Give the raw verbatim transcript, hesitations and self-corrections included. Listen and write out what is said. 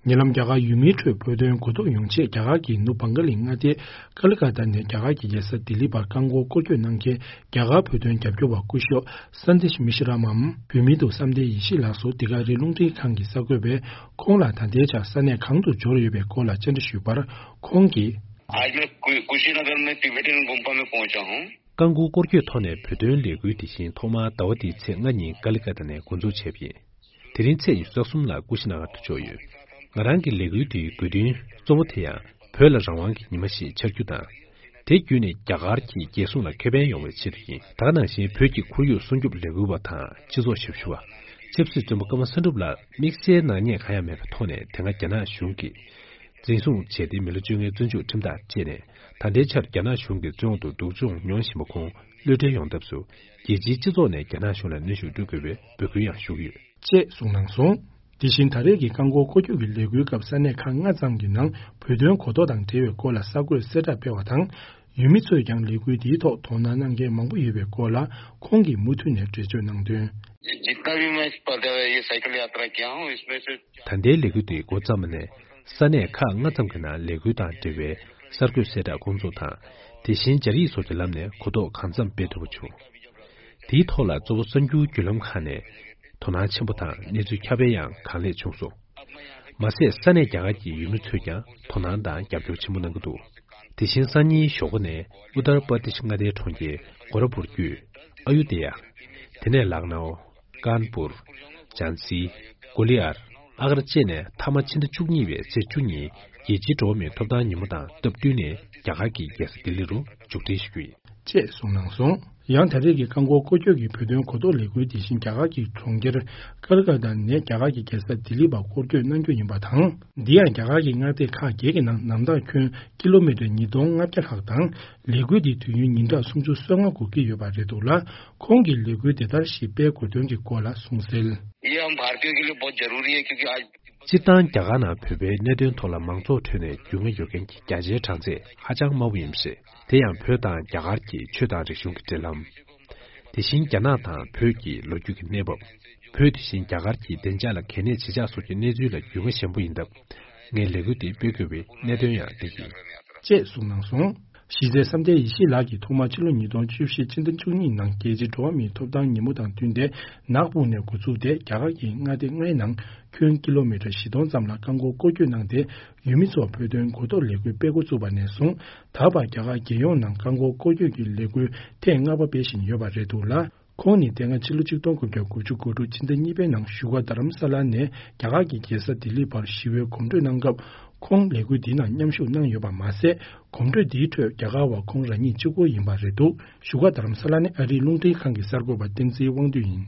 ཉེ་ལམ་རྒྱ་གར་ཡུལ་མིའི་ཁྲོད་བོད་དོན་གོ་རྟོགས་ཡོང་ཆེད་རྒྱ་གར་གྱི་ནུབ་བང་ག་ལི་མངའ་སྡེའི་ཀ་ལི་ཀ་ཏ་ནས་རྒྱ་གར་གྱི་རྒྱལ་ས་ལྡི་ལི་བར་བཀག་འགོག་སྐོར་སྐྱོད་གནང་མཁན་རྒྱ་གར་བོད་དོན་རྒྱབ་སྐྱོར་བ་སྐུ་ཞབས་སན་དེཤ་མི་ཤི་ར་མམ་བོད་མིའི་ཐོག་བསམ་གཏན་ཡེ་ཤེས་ལགས་སུ་འདི་ག་རི་རླུང་འཕྲིན་ཁང་གི་གསར་འགོད་པས་ཁོང་ལ་ད་ལྟའི་ཆར་ས་གནས་གང་དུ་འབྱོར་ཡོད་པའི་སྐོར་ལ་བཅར་འདྲི་ཞུས་པར། ཁོང་གིས། आज मैं कु- कुशीनगर में तिबेटियन गुम्पा में पहुंचा हूं। བཀག་འགོག་སྐོར་སྐྱོད་ཐོག་ནས་བོད་དོན་ལས་འགུལ་དེ་བཞིན་ཐོག་མར་ཟླ་བ་འདིའི་ཚེས་ལྔ་ཉིན་ཀ་ལི་ཀ་ཏ་ནས་འགོ་འཛུགས་བྱས་པ་ཡིན། དེ་རིང་ཚེས་ཉི་ཤུ་རྩ་གསུམ་ལ་ཀུ་ཤི་ན་གར་དུ་འབྱོར་ཡོད། ང་རང་གི་ལས་འགུལ་དེའི་དགོས་འདུན་གཙོ་བོ་དེ་ཡང་བོད་ལ་རང་དབང་གི་ཉི་མ་ཞིག་འཆར་རྒྱུ་དང་། དེ་བརྒྱུད་ནས་རྒྱ་གར་གྱི་རྒྱལ་སྲུང་ལ་ཁེ་ཕན་ཡོང་བའི་ཆེད་དུ་ཡིན། ད་ག་ནང་བཞིན་བོད་ཀྱི་ཁོར་ཡུག་སྲུང་སྐྱོབ་ལས་འགུལ་བ་དང་སྤྱི་ཚོགས་ཞབས་ཞུ་བ། ཆབ་སྲིད་བཙོན་པ་ཀརྨ་བསམ་གྲུབ་ལ་དམིགས་བསལ་ནག་ཉེས་གང་ཡང་མེད་པའི་ཐོག་ནས་དེ་སྔ་རྒྱ་ནག་གཞུང་གིས་འཛིན་བཟུང་བྱས་ཏེ་མི་ལོ་བཅོ་ལྔའི་བཙོན་འཇུག་ཁྲིམས་ཐག་བཅད་ནས། ད་ལྟའི་ཆར་རྒྱ་ནག་གཞུང་གི་བཙོན་འོག་ཏུ་སྡུག་སྦྱོང་མྱོང་བཞིན་པ་ཁོང་གློད་གྲོལ་ཡོང་ཐབས་སུ་རྒྱལ་སྤྱིའི་སྤྱི་ཚོགས་ནས་རྒྱ་ནག་གཞུང་ལ་གནོན་ཤུགས་སྤྲོད་དགོས་པའི་འབོད་སྐུལ་ཡང་ཞུ་གི་ཡོད། ཅེས་གསུངས་གནང་སོང་། དེ་བཞིན་ད་རེས་ཀྱི་བཀག་འགོག་སྐོར་སྐྱོད་ཀྱི་ལས་འགུལ་སྐབས་ས་གནས་ཁག་ལྔ་ཙམ་གྱི་ནང་བོད་དོན་གོ་རྟོགས་དང་འབྲེལ་བའི་སྐོར་ལ་གསར་འགོད་གསལ་བསྒྲགས་སྤེལ་བ་དང་། ཡུལ་མི་ཚོས་ཀྱང་ལས་འགུལ་འདིའི་ཐོག་དོ་སྣང་གནང་མཁན་མང་པོ་ཡོད་པའི་སྐོར་ལ་ཁོང་གིས་མུ་མཐུད་ནས་འགྲེལ་བརྗོད་གནང་དོན། जितना भी मैं इस पद- ये साइकिल यात्रा किया हूँ, इसमें से ད་ལྟའི་ལས་འགུལ་འདི་འགོ་བརྩམས་ནས་ས་གནས་ཁག་ལྔ་ཙམ་གྱི་ནང་ལས་འགུལ་དང་འབྲེལ་བའི་གསར་འགོད་གསལ་བསྒྲགས་སྐོང་ཚོགས་དང་། དེ་བཞིན་སྦྱར་ཡིག་སོགས་ཀྱི་ལམ་ནས་གོ་རྟོགས་གང་འཚམ་སྤེལ་ཐུབ་པ་བྱུང་། དེའི་ཐོག་ལ་གཙོ་བོ་གསར་འགྱུར་བརྒྱུད་ལམ་ཁག་ནས་དོ་སྣང་ཆེན་པོ་དང་གནས་ཚུལ་ཁྱབ་སྤེལ་ཡང་གང་ལེགས་བྱུང་སོང་། མ་ཟད་ས་གནས་རྒྱ་གར་གྱི་ཡུལ་མི་ཚོས་ཀྱང་དོ་སྣང་དང་རྒྱབ་སྐྱོར་ཆེན་པོ་གནང་གི་འདུག་དེ་བཞིན་སང་ཉིན་ཞོགས་པ་ནས་ཨུ་ཏར་པར་དིཤ་མངའ་སྡེའི་གྲོང་ཁྱེར་གོ་ར་པུར་བརྒྱུད་ཨ་ཡུ་དེ་ཡ། དེ་ནས་ལག་ནའོ། ཀཱན་པུར། ཇཱན་སི། གོ་ལི་ཡར། ཨ་གར་བཅས་ནས་མཐའ་མ་ཕྱི་ཟླ་བཅུ་གཉིས་པའི་ཚེས་བཅུ་ཉིན་རྒྱལ་སྤྱིའི་འགྲོ་བ་མིའི་ཐོབ་ཐང་ཉིན་མོ་དང་སྟབས་བསྟུན་ནས་རྒྱ་གར་གྱི་རྒྱལ་ས་ལྡི་ལི་རུ་མཇུག་སྒྲིལ་ཞུ་རྒྱུ་ཡིན། ཅེས་གསུངས་གནང་སོང་། ཡང་ད་རེས་ཀྱི་བཀག་འགོག་སྐོར་སྐྱོད་ཀྱི་བོད་དོན་གོ་རྟོགས་ལས་འགུལ་དེ་བཞིན་རྒྱ་གར་གྱི་གྲོང་ཁྱེར་ཀལ་ཀ་ཏ་ནས་རྒྱ་གར་གྱི་རྒྱལ་ས་ལྡི་ལི་བར་སྐོར་སྐྱོད་གནང་རྒྱུ་ཡིན་པ་དང་། འདི་ཡང་རྒྱ་གར་གྱི་མངའ་སྡེ་ཁག་བརྒྱད་ཀྱི་ནང་ནམ་ཐག་ཁྱོན་ཀི་ལོ་མི་ཊར་ཉིས་སྟོང་ལྔ་བརྒྱ་ལྷག་དང་། ལས་འགུལ་འདིའི་དུས་ཡུན་ཉིན་གྲངས་སུམ་ཅུ་སོ་ལྔ་འགོར་གྱི་ཡོད་པ་རེད་འདུག་ལ། ཁོང་གིས་ལས་འགུལ་དེ་ལྟར་ཞིག་སྤེལ་དགོས་དོན་གྱི་སྐོར་ལ་གསུངས་གསལ། ये हम भारतीयों के लिए बहुत जरूरी है, क्योंकि आज ཅི་ལྟར་རྒྱ་གར་ནང་བོད་པའི་གནད་དོན་ཐོག་ལ་མང་ཚོགས་ཁྲོད་ནས་རྒྱུས་མངའ་ཡོད་མཁན་གྱི་རྒྱ་ཆེའི་གྲངས་ཚད་ཧ་ཅང་དམའ་བོ་ཡིན་པ་རེད། དེ་ཡང་བོད་དང་རྒྱ་གར་གྱི་ཆོས་དང་རིག་གཞུང་གི་འབྲེལ་ལམ། དེ་བཞིན་རྒྱ་ནག་དང་བོད་ཀྱི་ལོ་རྒྱུས་ཀྱི་གནས་བབ། བོད་དེ་བཞིན་རྒྱ་གར་གྱི་བདེ་འཇགས་ལ་གལ་གནད་ཇི་ཆགས་སོགས་ཀྱི་གནས་ཚུལ་ལ་རྒྱུས་མངའ་ཞན་པོ་ཡིན་སྟབས། ངས་ལས་འགུལ་འདི་སྤེལ་དགོས་པའི་གནད་དོན་ཡང་འདི་ཡིན། ཅེས་གསུངས་གནང་སོང་། གཞི་རྩའི་བསམ་གཏན་ཡེ་ཤེས་ལགས་ཀྱིས་ཐོག་མར་ཕྱི་ལོ་ཉིས་སྟོང་བཅུ་བཞི་ཕྱི་ཟླ་བཅུ་གཉིས་ནང་རྒྱལ་སྤྱིའི་འགྲོ་བ་མིའི་ཐོབ་ཐང་ཉིན་མོ་དང་བསྟུན་ཏེ་ནག་སྦུག་ནས་འགོ་ཚུགས་ཏེ་རྒྱ་གར་གྱི་མངའ་སྡེ་ལྔའི་ནང་ཁྱོན་ཀི་ལོ་མི་ཊར་བཞི་སྟོང་ཙམ་ལ་བཀག་འགོག་སྐོར་སྐྱོད་གནང་སྟེ། ཡུལ་མི་ཚོར་བོད་དོན་གོ་རྟོགས་ལས་འགུལ་སྤེལ་འགོ་བཙུགས་པ་ནས་བཟུང་ད་བར་རྒྱ་གར་རྒྱལ་ཡོངས་ནང་བཀག་འགོག་སྐོར་སྐྱོད་ཀྱི་ལས་འགུལ་ཐེངས་ལྔ་པ་སྤེལ་བཞིན་ཡོད་པ་རེད་འདུག་ལ། ཁོང་ནི་དེ་སྔ་ཕྱི་ལོ་ཆིག་སྟོང་དགུ་བརྒྱ་དགུ་བཅུ་གོ་དྲུག་ཕྱི་ཟླ་གཉིས་པའི་ནང་བཞུགས་སྒར་རྡ་རམ་ས་ལ་ནས་རྒྱ་གར་གྱི་རྒྱལ་ས་ལྡི་ལི་བར་ཞི་བའི་གོམ་བགྲོད་གནང་སྐབས། ཁོང་ལས་འགུལ་འདིའི་ནང་མཉམ་ཞུགས་གནང་ཡོད་པ་མ་ཟད། གོམ་བགྲོད་འདིའི་ཁྲོད་རྒྱ་གར་བ་ཁོང་རང་ཉིད་གཅིག་པོ་ཡིན་པ་རེད་འདུག་བཞུགས་སྒར་རྡ་རམ་ས་ལ་ནས་ཨ་རིའི་རླུང་འཕྲིན་ཁང་གི་གསར་འགོད་པ་བསྟན་འཛིན་དབང་འདུས་ཡིན།